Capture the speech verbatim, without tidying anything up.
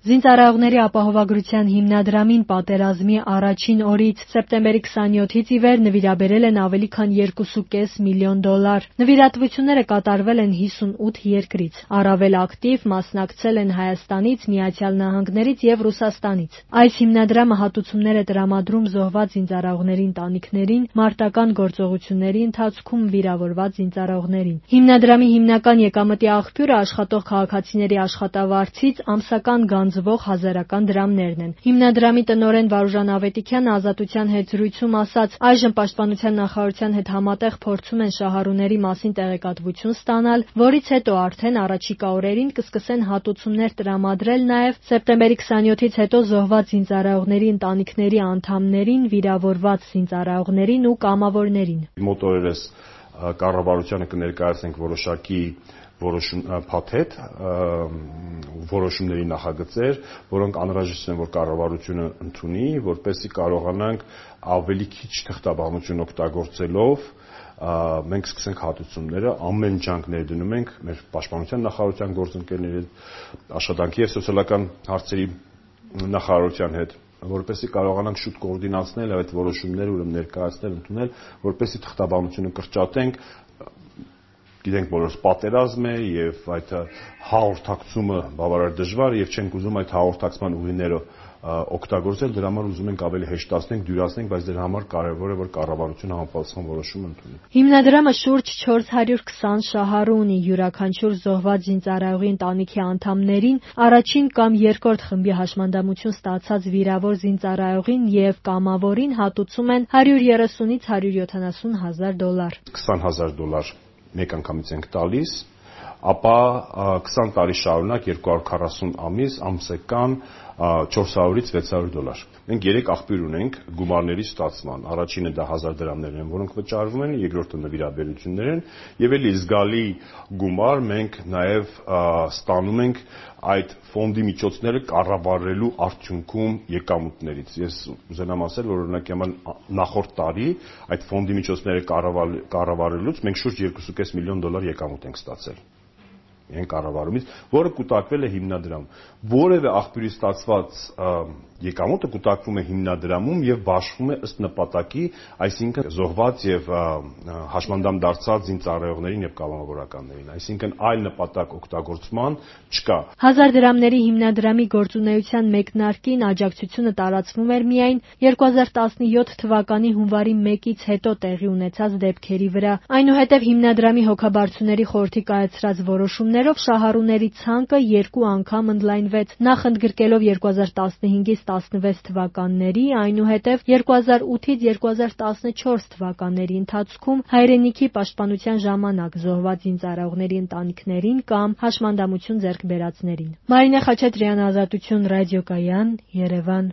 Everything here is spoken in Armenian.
Զինծառայողների ապահովագրության հիմնադրամին պատերազմի առաջին օրից սեպտեմբերի քսանյոթից ի վեր նվիրաբերել են ավելի քան երկու կես միլիոն դոլար։ Նվիրատվությունները կատարվել են հիսունութ երկրից։ Առավել ակտիվ մասնակցել են Հայաստանից, Միացյալ Նահանգներից և Ռուսաստանից։ Այս հիմնադրամը հատուցումներ է տրամադրում զոհված զինծառայողների ընտանիքներին, մարտական գործողությունների ընթացքում վիրավորված զինծառայողներին։ Հիմնադրամի հիմնական եկամտի աղբյուրը աշխատող քաղաքացիների աշխատավարձից ամսական գանձվող հազարական դրամներն են։ Հիմնադրամի տնօրեն Վարուժան Ավետիքյանը «Ազատության» հետ զրույցում ասաց. «Այժմ Պաշտպանության նախարարության հետ համատեղ փորձում են շահառուների մասին տեղեկատվություն ստանալ, որից հետո արդեն առաջիկա օրերին կսկսեն հատուցումներ տրամադրել նաև սեպտեմբերի քսանյոթից հետո զոհված զինծառայողների ընտանիքների անդամներին, վիրավորված զինծառայողներին ու կամավորներին»։ Մոտ օրերս կառավարությանը կներկայացնենք որոշակի փաթեթ, որոշումների նախագծեր, որոնք անհրաժեշտ են, որ կառավարությունը ընդունի, որպեսզի կարողանանք ավելի քիչ թղթաբանություն օգտագործելով մենք սկսենք հատուցումները, ամեն ջանք ներդնում ենք մեր Պաշտպանության նախարարության գործընկերների հետ, Աշխատանքի և սոցիալական հարցերի նախարարության հետ, որպեսզի կարողանանք շուտ կոորդինացնել այդ որոշումները, ուրեմն ներկայացնել, ընդունել, որպեսզի թղթաբանությունը կրճատենք։ Գիտենք բոլորս պատերազմ է եւ այդ հաղորդակցումը բավարար դժվար եւ չենք ուզում այդ հաղորդակցման ուղիները օգտագործել, դրա համար ուզում ենք ավելի հեշտացնենք, դյուրացնենք, բայց դրա համար կարևոր է, որ կառավարությունը համապատասխան որոշում ընդունի։ Հիմնադրամը շուրջ չորս հարյուր քսան շահառու ունի, յուրաքանչյուր զոհված զինծառայողի ընտանիքի անդամներին առաջին կամ երկրորդ խմբի հաշմանդամություն ստացած վիրավոր զինծառայողին եւ կամավորին հատուցում են հարյուր երեսունից հարյուր յոթանասուն հազար դոլար։ քսան հազար դոլար մեկ անգամից ենք տալիս, ապա քսան տարի շարունակ երկու հարյուր քառասուն ամիս ամսական չորս հարյուրից վեց հարյուր դոլար։ Մենք երեք աղբյուր ունենք գումարների ստացման։ Առաջինը դա հազար դրամներն են, որոնք վճարվում են, երկրորդը նվիրաբերություններ են, եւ էլի զգալի գումար մենք նաեւ ստանում ենք այդ ֆոնդի միջոցները կառավարելու արդյունքում եկամուտներից։ Ես ուզենամ ասել, որ օրինակի համար նախորդ տարի այդ ֆոնդի միջոցները կառավարելուց մենք շուրջ երկու կես միլիոն դոլար եկամուտ ենք ստացել այն կառավարումից, որը կուտակվել է հիմնադրամում։ Որևէ աղբյուրից ստացված եկամուտը կուտակվում է հիմնադրամում եւ բաշխվում է ըստ նպատակի, այսինքն զոհված եւ հաշմանդամ դարձած զինծառայողներին եւ կամավորականներին, այսինքն այլ նպատակ օգտագործման չկա։ Հազար դրամների հիմնադրամի գործունեության մեկնարկին աջակցությունը տարածվում էր միայն երկու հազար տասնյոթ թվականի հունվարի մեկից հետո տեղի ունեցած դեպքերի վրա։ Այնուհետև հիմնադրամի հոգաբարձուների խորհրդի կայացրած որոշումներով շահառուների ցանկը երկու անգամ ընդլայնվեց, նախ ընդգրկելով երկու հազար տասնհինգից տասնվեց թվականների, այնուհետև երկու հազար ութից երկու հազար տասնչորս թվականների ընթացքում հայրենիքի պաշտպանության ժամանակ զոհված զինծառայողների ընտանիքներին կամ հաշմանդամություն ձեռք բերածներին։ Մարինե Խաչատրյան, Ազատություն ռադիոկայան, Երևան։